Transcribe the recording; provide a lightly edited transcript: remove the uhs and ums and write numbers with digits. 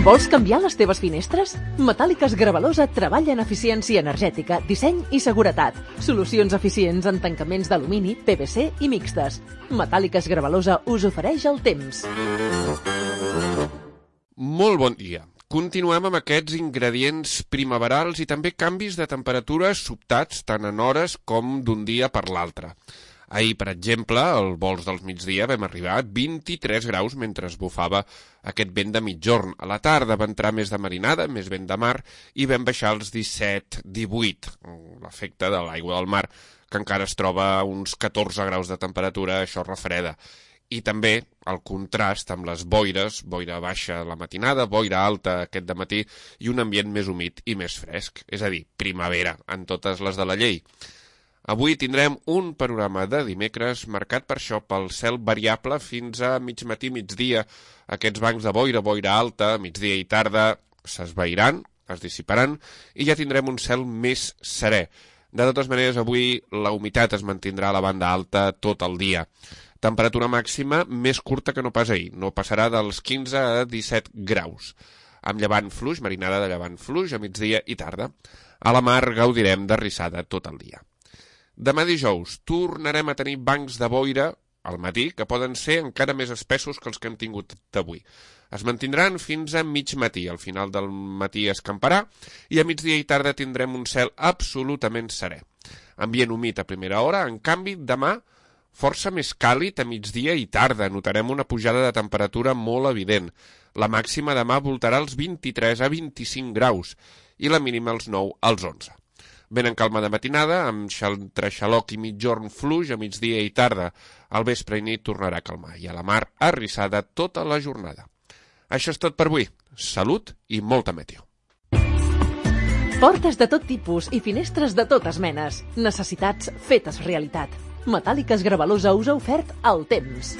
Vols canviar les teves finestres? Metàl·liques Gravalosa treballa en eficiència energètica, disseny i seguretat. Solucions eficients en tancaments d'alumini, PVC i mixtes. Metàl·liques Gravalosa us ofereix el temps. Molt bon dia. Continuem amb aquests ingredients primaverals i també canvis de temperatura sobtats tant en hores com d'un dia per l'altre. Ahir, per exemple, al vols dels migdia vam arribar a 23 graus mentre es bufava aquest vent de mitjorn. A la tarda va entrar més de marinada, més vent de mar, i vam baixar als 17-18. L'efecte de l'aigua del mar, que encara es troba a uns 14 graus de temperatura, això refreda. I també el contrast amb les boires, boira baixa a la matinada, boira alta aquest dematí i un ambient més humit i més fresc, és a dir, primavera en totes les de la llei. Avui tindrem un panorama de dimecres marcat per això, pel cel variable fins a mig matí, migdia. Aquests bancs de boira, boira alta, migdia i tarda s'esvairan, es dissiparan i ja tindrem un cel més serè. De totes maneres, avui la humitat es mantindrà a la banda alta tot el dia. Temperatura màxima més curta que no pas ahir, no passarà dels 15 a 17 graus. Amb llevant fluix, marinada de llevant fluix a migdia i tarda. A la mar gaudirem de rissada tot el dia. Demà dijous tornarem a tenir bancs de boira al matí que poden ser encara més espessos que els que hem tingut d'avui. Es mantindran fins a mig matí. Al final del matí escamparà i a migdia i tarda tindrem un cel absolutament serè. Ambient humit a primera hora, en canvi, demà força més càlid a migdia i tarda. Notarem una pujada de temperatura molt evident. La màxima demà voltarà als 23 a 25 graus i la mínima als 9 als 11. Ben en calma de matinada, amb entre xaloc i mitjorn fluix a migdia i tarda. Al vespre i nit tornarà a calmar i a la mar arrissada tota la jornada. Això és tot per avui. Salut i molta meteo. Portes de tot tipus i finestres de totes menes. Necessitats fetes realitat. Metàl·liques Gravalosa us ha ofert el temps.